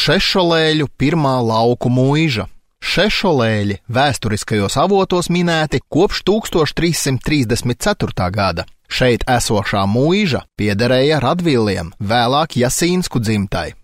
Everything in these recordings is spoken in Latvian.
Šešolēļu pirmā lauku muiža. Šešolēļi vēsturiskajos avotos minēti kopš 1334. gada. Šeit esošā muiža piederēja Radviliem, vēlāk Jasīnsku dzimtai.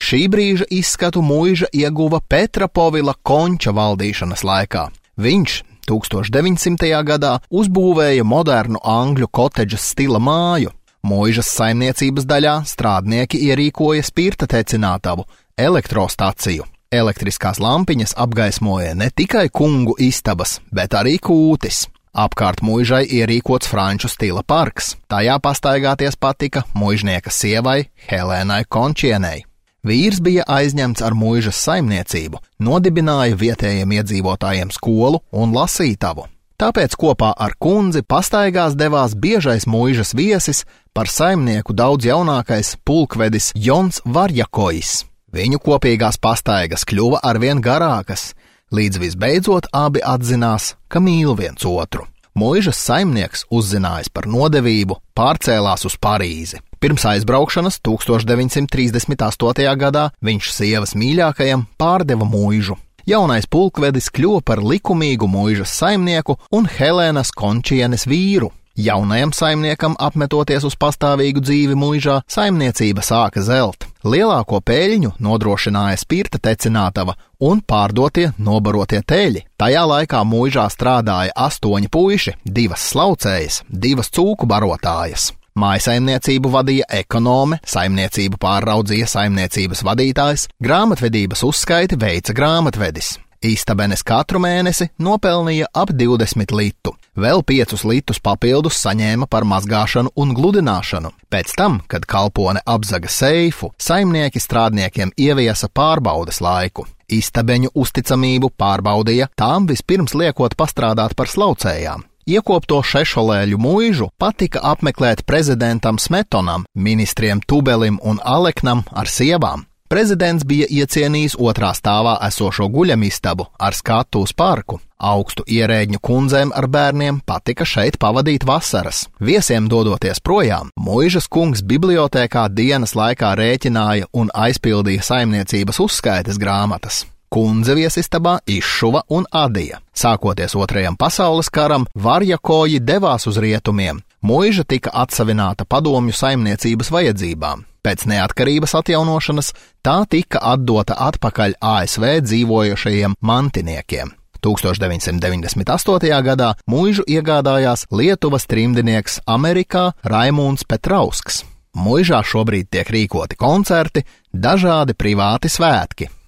Šī brīža izskatu muiža ieguva Petra Povila Konča valdīšanas laikā. Viņš 1900. gadā uzbūvēja modernu angļu kotedžas stila māju. Muižas saimniecības daļā strādnieki ierīkoja spirta tecinātavu, elektrostaciju. Elektriskās lampiņas apgaismoja ne tikai kungu istabas, bet arī kūtis. Apkārt muižai ierīkots franču stila parks. Tajā pastaigāties patika muižnieka sievai Helēnai Končienei. Vīrs bija aizņemts ar muižas saimniecību, nodibināja vietējiem iedzīvotājiem skolu un lasītavu. Tāpēc kopā ar kundzi pastaigās devās biežais muižas viesis, par saimnieku daudz jaunākais pulkvedis Jons Varjakojs. Viņu kopīgās pastaigas kļuva arvien garākas, līdz visbeidzot abi atzinās, ka mīl viens otru. Muižas saimnieks, uzzinājis par nodevību, pārcēlās uz Parīzi. Pirms aizbraukšanas 1938. gadā viņš sievas mīļākajam pārdeva muižu. Jaunais pulkvedis kļuva par likumīgu muižas saimnieku un Helēnas Končienes vīru. Jaunajam saimniekam apmetoties uz pastāvīgu dzīvi muižā, saimniecība sāka zelt. Lielāko peļņu nodrošināja spirta tecinātava un pārdotie nobarotie teļi. Tajā laikā muižā strādāja 8 puiši, 2 slaucējas, 2 cūku barotājas. Mājasaimniecību vadīja ekonome, saimniecību pārraudzīja saimniecības vadītājs, grāmatvedības uzskaiti veica grāmatvedis. Istabenes katru mēnesi nopelnīja ap 20 litu, vēl 5 litus papildus saņēma par mazgāšanu un gludināšanu. Pēc tam, kad kalpone apzaga seifu, saimnieki strādniekiem ieviesa pārbaudes laiku. Istabeņu uzticamību pārbaudīja tām vispirms liekot pastrādāt par slaucējām. Iekopto Šešolēļu muižu patika apmeklēt prezidentam Smetonam, ministriem Tubelim un Aleknam ar sievām. Prezidents bija iecienījis otrā stāvā esošo guļamistabu ar skatu uz parku. Augstu ierēģņu kundzēm ar bērniem patika šeit pavadīt vasaras. Viesiem dodoties projām, muižas kungs bibliotēkā dienas laikā rēķināja un aizpildīja saimniecības uzskaites grāmatas. Kundze viesistabā izšuva un adīja. Sākoties Otrajam pasaules karam, Varjakoji devās uz rietumiem. Muiža tika atsavināta padomju saimniecības vajadzībām. Pēc neatkarības atjaunošanas tā tika atdota atpakaļ ASV dzīvojošajiem mantiniekiem. 1998. gadā muižu iegādājās Lietuvas trimdinieks Amerikā Raimunds Petrausks. Muižā šobrīd tiek rīkoti koncerti, dažādi privāti svētki.